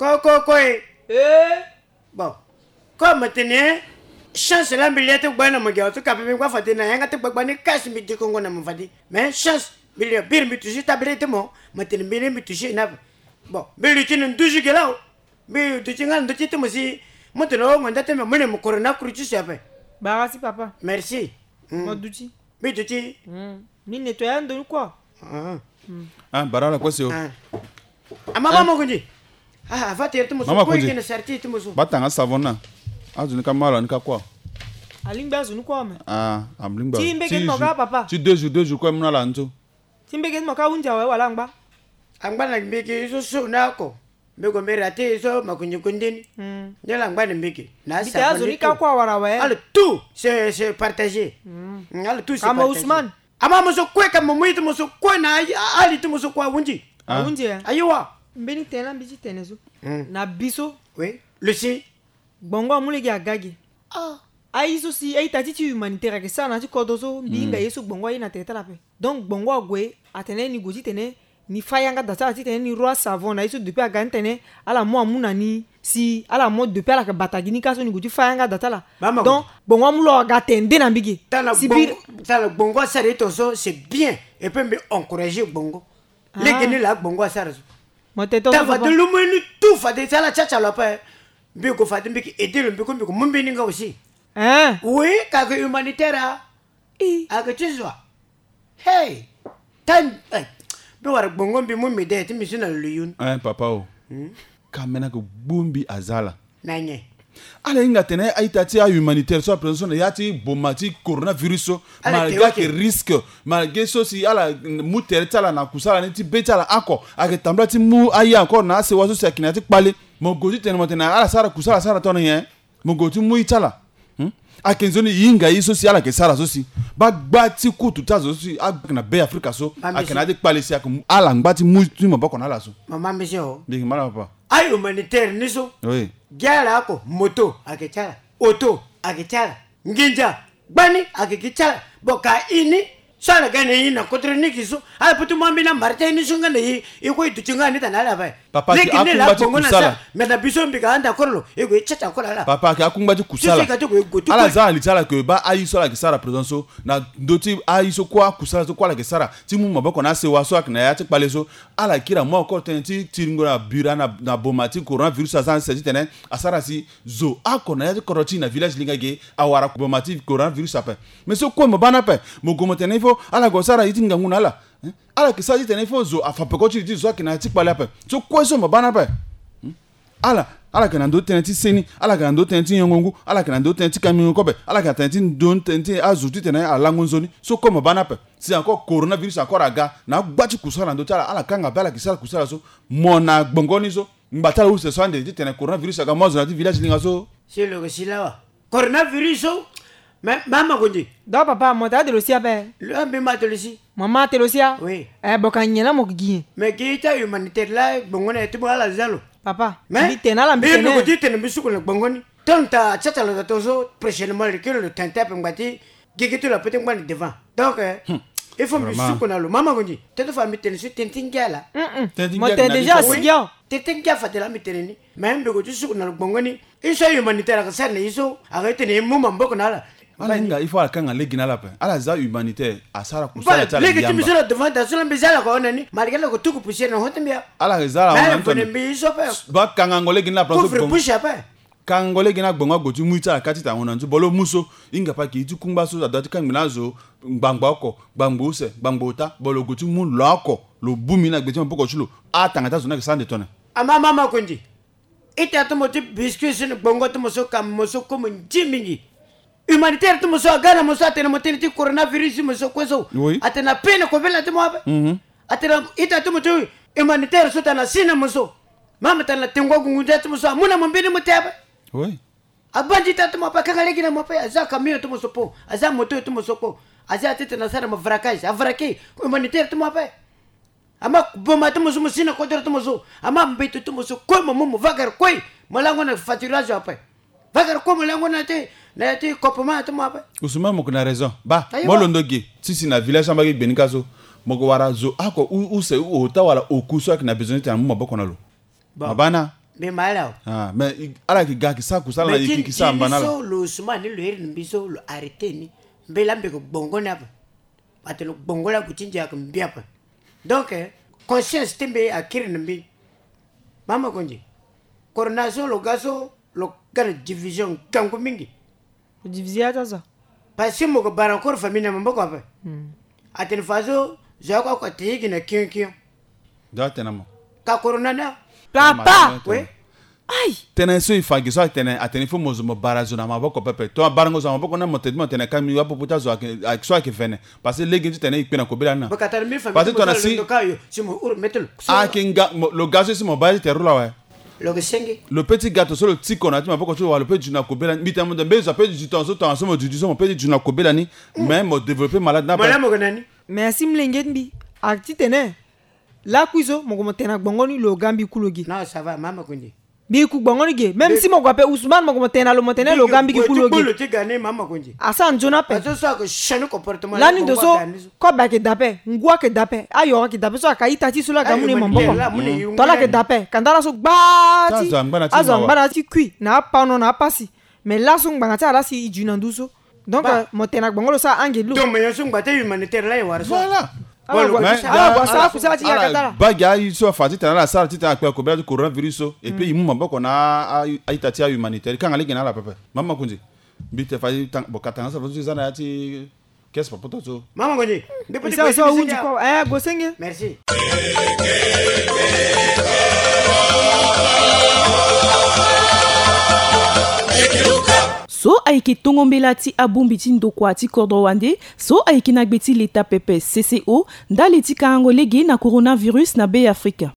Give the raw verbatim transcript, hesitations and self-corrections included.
Koko ko e. Eh. Bon. Comme tene chance la mbi lia ti gba na mo gi awa ti ka pe mbi ngba fade na yanga ti gbagba ni kasi mbi dikongo na mo fade. Mais chance mbi lia biri mbi touché table ti mo, mo tene mbi ni mbi touché na. Bon, mbi luti na nduzu gi la o. Mbi duti nga na ndö ti ti mo si mo tene o mo nda ti mbi mo ne mo corona crucis ape. Bara si papa. Merci. Mm. Mo duti. Mbi duti. Mm. Mbi nettoyer ando ni kua. Ah. Mm. Ah, bara la kue si o. Ah. Ama ba mo kundi. Ah, ava tere ti mo so. Mama kue kundi. Kena sarti ti mo so. Ba tanga savon na. Azo ni ka ma ala ni ka kua. Alingbi azo ni kua me. Ah, alingbi. Ti mbege ti mo ka papa. Ti deux jours, deux jours kue mo na ala ni so. Ti mbege ti mo ka hunzi awe wala angba. Angba na mbege so so na oko. Mbi gue mbi rate so makunzi kundi ni. Mm. Ni ala ngba na mbege. Na mbi te savon azo ni ka kua wara awe. Ala tout, c'est, c'est partagé. Mm. Mm, ala tout, c'est partagé. Kama Ousmane. Ama mo so kue, kama mo iri ti mo so kue na ali, ali ti mo so kue ahunzi. Ah. Ahunzi, eh? Ayiwa. Mbeni tene la mbi ti tene so. Mm. Na biso. Oui. Lucie. Gbongo amu lege aga ge. Ah. Aye so si a-ita ti ti humanitaire ayeke sara na ya ti kodro so mbi hinga ye so gbongo aye na tere ti ala ape. Donc gbongo ague atene ni gue titene ni fâ yanga da ti ala titene ni roi savon na ye so depuis aga ni tene ala mu amu na ni si ala mo depuis ala yeke bata gi ni ka so ni gue ti fâ yanga da ti ala. Donc gbongo amu lo aga atene nde na mbi ge. Tala gbongo asara ye tongaso c'est bien. Et puis mbi encourager gbongo. Ah. Lege ni laa gbongo asara so. Mo tene tongaso. Tala fade lumu ye ni tout fade si ala ti atsa lo ape. Mbi gue fade mbi yeke aider lo mbi kue mbi yeke mu mbeni nga aussi. Hein? Oui, kake humanitaire a. Ii. Ayeke ti zo wa. Hey. Tan, eh. Mbi wara gbongo mbi mu mede ti mbi so na lo yun. Eh, papa o. Hmm? Ka mena ke gbu mbi aza ala. Na nyen? Ala hinga atene a-ita ti ahumanitaire so ape so na ya ti boma ti coronavirus so. Malgré ayeke risque, malgré so si ala mu tere ti ala na kusala ni ti be ti ala oko, ayeke tambula ti mu aye encore na asewa so si ayeke na ya ti kpale. Mo gue titene mo tene ala sara kusala sara tongana nyen? Mo gue ti mu ye ti ala. Hmm? Ayeke nzoni e hinga ye so si ala yeke sara so si baa gba ti kutu ti azo so si ayeke na Be Afrika so ayeke na ya ti kpale si ayeke ala ngba ti mu ti maboko na ala so. Mama mbese o. Mbi yeke ma ala papa. Ahumanitaire ni so. Oui. Gi ala oko, moto ayeke ti ala, auto ayeke ti ala, nginza gbani ayeke gi ti ala. Bon, ka e ni so ala ga na e na kodro ni gi so ala peut ti mu ambeni amartin ni so nga na e, e kue e duti nga ni tana ala ape. Papa, lege ni laa gbongo na sara. Mais na biso mbi ga anda koro lo e gue e tsa tsa koro ala. Papa, ayeke akungba ti kusala. Ala za na li ti ala ke baa aye so ala yeke sara présent so na ndö ti aye so kue akusala so kue ala yeke sara ti mu maboko na asewa so ayeke na ya ti kpale so. Ala kiri amu oko tënë ti tiringo na bira na, na boma ti coronavirus aza na sese titene asara si zo oko na ya ti kodro ti e na village linga ge awara boma ti coronavirus ape. Mais so kue mo baa ni ape, mo gue mo tene il faut ala gue asara ye ti ngangu na ala. Hein? Ala yeke sara titene il faut zo afa peko ti li ti zo so ayeke na ya ti kpale ape. So kue so mo baa ni ape. Hmm? Ala, ala yeke na ndö ti tënë ti seni, ala yeke na ndö ti tënë ti nyongo ngu, ala yeke na ndö ti tënë ti kamingo kobe, ala yeke na tënë ti ndö ti tënë ti azo titene alango nzoni. So kue mo baa ni ape. Si encore coronavirus encore aga na agba ti kusala na ndö ti ala, ala kanga be ala yeke sara kusala so. Mo na gbongo ni so ngba ti ala use so ande titene coronavirus aga mo azo na ya ti village linga so. Si lo yeke si lawa. Coronavirus so. Mais mama kondi. Donc papa, mo ta ade lo si ape. Lo ambi ma ate lo si. Mo ma ate lo si a. Oui. Eh, bon, ka nyen la mo gi nyen? Mais gi ti ahumanitaire la gbongo na ye ti mo ala za lo. Papa, mais mbi tene ala mbi tene. Mbi gue ti tene mbi suku na gbongo ni. Tonta ti ata lo da tongaso prochainement le kiri lo tene ti ape ngba ti gigi ti lo ape ti ngba na devant. Donc, eh, il faut mbi suku na lo. Mama kondi. Tene ti fa mbi tene so tene ti ngia la. Mo tene déjà asi gi awe. Tene ti ngia fade la mbi tene ni. Mais mbi gue ti suku na lo gbongo ni. Ye so ahumanitaire ayeke sara na ye so ayeke tene e mu maboko na ala. Ala hinga il faut ala kanga lege na ala ape. Ala za humanitaire asara kusala ti ala. Lege ti mbi so na devant da so la mbi za ala ko hon na ni. Malgré ala ko tuku poussière na hon ti mbi a. Ala za ala hon na ni. Mbi ye so ape. Ba kangango lege ni ala place. Couvre bouche ape. Kangango lege ni agbongo ague ti mu ye ti ala ka ti ta hon na ni so. Bon lo mu so. Hinga pa ke ye ti kungba so adoit ti kangbi na azo. Ngbangbo oko, ngbangbo use, ngbangbo ota. Bon lo gue ti mu lo oko. Lo bu mbi na gbe ti maboko ti lo. Atanga ti azo ni ayeke sara ande tone. Ama mama kondi. Ita ti mo ti biscuit so ni gbongo ti mo so ka mo so kue mo nzi mingi. Humanitaire ti mo so aga na mo so atene mo tënë ti coronavirus ti mo so kue so. Oui. Atene ape na kovela ti mo ape. Mhm. Atene ita ti mo ti humanitaire so tana si na mo so. Mama tana tengo agungu ndia ti mo so amu na mo mbeni mo te ape. Oui. Abandi ita ti mo ape akanga lege na mo ape aza camion ti mo so po aza moto ti mo so po. Aza titene asara mo vraquage avraqué humanitaire ti mo ape. Ama boma ti mo so mo si na kodro ti mo so. Ama mbeto ti mo so kue mo mu mo vagara kue. Mo lango na faturage ape. Vagara kue mo lango na ti, na ti kopema ti mo ape. Ousmane mo yeke na raison. Ba mo londo ge ti si na village ti ambage gbe ni ka so. Mo yeke wara zo oko u, use u ota wala oku so ayeke na besoin ti tene amu maboko na lo. Bon. Mabana. Mbi ma ala awe. Ah, mais i- ala yeke ga yeke sara kusala na i yeke sara mba na ala. So lo Ousmane ni lo iri na mbi so lo arrêté ni. Mbi laa mbi yeke gbongo ni ape. Atene gbongo laa ague ti ndia ayeke mbi ape. Donc eh, conscience ti mbi akiri na mbi. Mama Konzi, corona so lo ga so lo ga na division ngangu mingi. Divisé ata so. Parce que mo ko bara encore famille na maboko ape. Atene fa so zo oko oko ate ye gi na kion kion. Ndo atene na mo. Ka corona na. Papa. We. Aïe. Tënë so e fa gi so atene, atene il faut mo zo mo bara zo na maboko pepe. Tongana abarango zo na maboko na mo tene, mo tene ka mbi wapopo ti azo ayeke, ayeke so ayeke vene. Parce que lege ni ti tene e kpe na kobela ni na. Parce que tongana si ayeke nga mo- lo ga so si mo baa ti tere lo awe. Lo ke senge. Lo pe ti ga tongaso lo tiko na ya ti maboko ti lo wa lo pe du na kobela ni. Mbi tene mo de mbe zo ape du tongaso tongaso mo du du so mo pe ti du na kobela ni. Mais mo développer malade ni ape. Merci mlenge ti mbi. Ayeke titene lakui so mo ko mo tene na gbongo ni lo ga mbi ku lo ge. Non, ça va, mama Konzi. Mbi ku gbongo ni ge. Même si mo gue ape Ousmane mo ko mo tene na lo mo tene lo ga mbi gi ku lo ge. Asara nzoni ape. Lani ndo so kobe ayeke da ape, ngu ayeke da ape, ayoro ayeke da ape so ayeke a-ita ti e so laa aga mu na e maboko. Tongana ayeke da ape kanda ala so gbaa ti azo angba na ya ti kui na apano na apasi. Mais laso ngbanga ti ala si e du na ndu so. Donc mo tene na gbongo lo sara ange ti lo. Donc mais nyen so ngba ti humanitaire laa e wara so. Voilà. Ala gue asara kusala ti yakata ala. Baa gi aye so afa titene ala sara titene akpe na kobela ti coronavirus so. Et puis e mu maboko na a- a- a-ita ti ahumanitaire e kanga lege na ala pepe. Mama Konzi. Mbi te fa e tanga- bo ka tanga so afa so e za na ya ti caisse pa poto so. Mama Konzi. Mbi pe ti gue so ahundi kua. Eh, gue senge. Merci. So ayeke tongo mbela ti abongbi ti ndokua ti kodro wande so ayeke na gbe ti leta pepe C C O ndali ti kangango lege na coronavirus na Be Afrika.